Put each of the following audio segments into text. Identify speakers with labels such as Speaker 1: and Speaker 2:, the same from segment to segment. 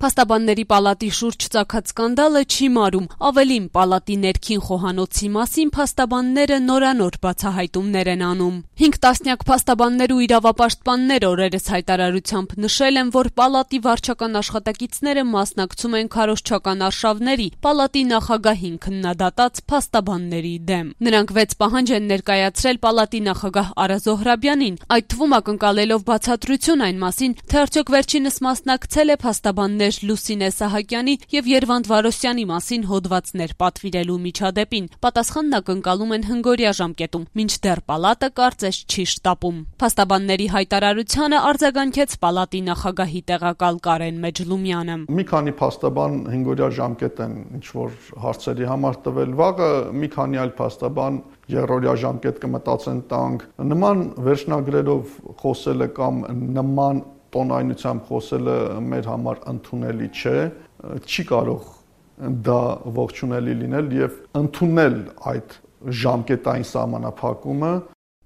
Speaker 1: Փաստաբանների պալատի շուրջ ծագած սկանդալը չի մարում, ավելին պալատի ներքին խոհանոցի մասին փաստաբանները նորանոր բացահայտումներ են անում։ 5 տասնյակ փաստաբաններ ու իրավապաշտպաններ օրերս հայտարարությամբ նշել են, որ պալատի վարչական աշխատակիցները մասնակցում են քարոզչական արշավների պալատի նախագահին քննադատած փաստաբանների դեմ։ Նրանք 6 պահանջ են ներկայացրել պալատի նախագահ Արա Զոհրաբյանին, այդ թվում ակնկալելով բացատրություն այն մասին, թե արդյոք վերջինս մասնակցել է փաստաբաններ Լուսինե Սահակյանի եւ Երվանդ Վարոսյանի մասին հոդվածներ պատվիրելու միջադեպին։ Պատասխանն ակնկալում են հնգօրյա ժամկետում, մինչդեռ պալատը կարծես չի շտապում։ Փաստաբանների հայտարարությանը արձագանքեց պալատի նախագահի տեղակալ Կարեն Մեջլումյանը։
Speaker 2: Մի քանի փաստաբան հնգօրյա ժամկետ են ինչ-որ հարցերի համար տվել, վաղը մի քանի այլ փաստաբան երրորդյա ժամկետ կմտածեն տանք։ Նման վերջնագրերով խոսելը կամ նման տոնայնությամբ խոսելը մեր համար ընդունելի չէ, չի կարող դա ողջունելի լինել եւ ընդունել այդ ժամկետային սահմանափակումը։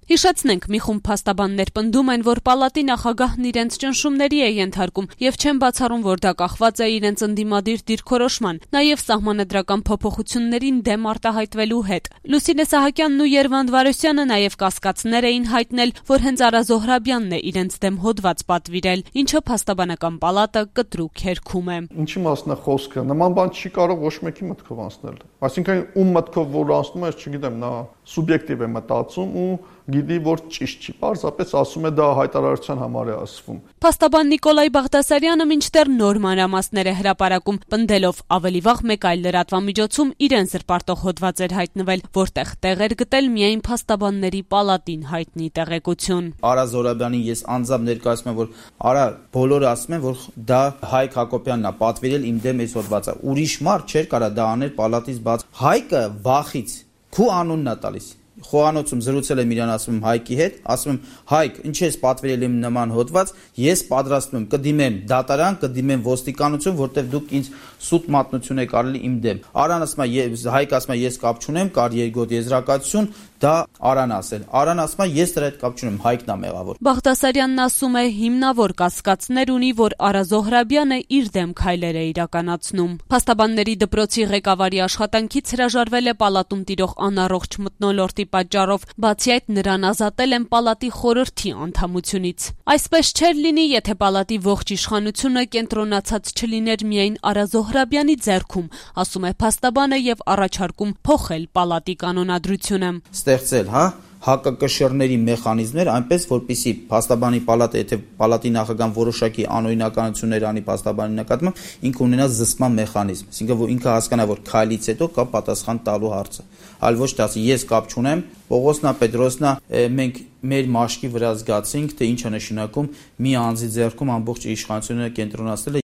Speaker 1: Հիշեցնենք, մի խումբ փաստաբաններ պնդում են, որ պալատի նախագահն իրենց ճնշումների է ենթարկում եւ չեն բացառում, որ դա կախված է իրենց ընդդիմադիր դիրքորոշման, նաեւ սահմանադրական փոփոխություններին դեմ արտահայտվելու հետ։ Լուսինե Սահակյանն ու Երվանդ Վարոսյանը նաեւ կասկածներ էին հայտնել, որ հենց Արա Զոհրաբյանն է իրենց դեմ հոդված պատվիրել, ինչը փաստաբանական պալատը կտրուկ հերքում է։
Speaker 2: Ինչի մասն է խոսքը, նման բան չի կարող ոչ մեկի մտքով անցնել։ Այսինքն ում մտքով որ անցնում է, չգիտեմ, նա սուբյեկտիվ է մտածում ու գիտի, որ ճիշտ չի, պարզապես ասում է դա հայտարարության համար է ասվում։
Speaker 1: Փաստաբան Նիկոլայ Բաղդասարյանը մինչդեռ նոր մանրամասներ է հրապարակում, պնդելով ավելի վաղ մեկ այլ լրատվամիջոցում իրեն զրպարտող հոդված էր հայտնվել, որտեղ տեղ էր գտել միայն փաստաբանների պալատին հայտնի տեղեկություն։
Speaker 3: Արա Զոհրաբյանին ես անձամբ ներկայացնում եմ, որ Արա բոլորը ասում են, որ դա Հայկ Հակոբյանն է պատվիրել իմ դեմ այս հոդվածը։ Ուրիշ մարդ չէր կարա դա անել պալատից բաց։ Հայկը վախից քու անունն է տալիս։ Խոհանոցում զրուցել եմ իրան, ասում եմ Հայկի հետ, ասում եմ Հայկ, ինչ ես պատվիրել իմ նման հոդված, ես պատրաստվում եմ կդիմեմ դատարան, կդիմեմ ոստիկանություն, որտեղ դուք ինձ սուտ մատնություն եք արել իմ դեմ։ Արան ասում է, Հայկ ասում է, ես կապ չունեմ, կար երկրորդ եզրակացություն, դա Արան ասել։ Արան ասում է, ես դրա հետ կապ չունեմ, Հայկն է մեղավոր։
Speaker 1: Բաղդասարյանն ասում է, հիմնավոր կասկածներ ունի, որ Արա Զոհրաբյանը իր դեմ քայլեր է իրականացնում։ Փաստաբանների դպրոցի ղեկավարի աշխատանքից հրաժարվել է պալատում տիրող անառողջ մթնոլորտի պատճառով, բացի այդ նրան ազատել են պալատի խորհրդի անդամությունից։ Այսպես չէր լինի, եթե պալատի ողջ իշխանությունը կենտրոնացած չլիներ միայն Արա Զոհրաբյանի ձեռքում, ասում է փաստաբանը եւ առաջարկում փոխել պալատի կանոնադրությունը։
Speaker 3: Ստեղծել, հակակշիռների մեխանիզմներ, այնպես որպեսզի փաստաբանի պալատը, եթե պալատի նախագահան որոշակի անօրինականություններ անի փաստաբանի նկատմամբ, ինքը ունենա զսպման մեխանիզմ, այսինքն որ ինքը հասկանա, որ քայլից հետո կա պատասխան տալու հարցը, այլ ոչ թե ասի ես կապ չունեմ, Պողոսնա Պետրոսնա, մենք մեր մաշկի վրա զգացինք, թե ինչ է նշանակում մի անձի ձեռքում ամբողջ իշխանությունը կենտրոնացնել։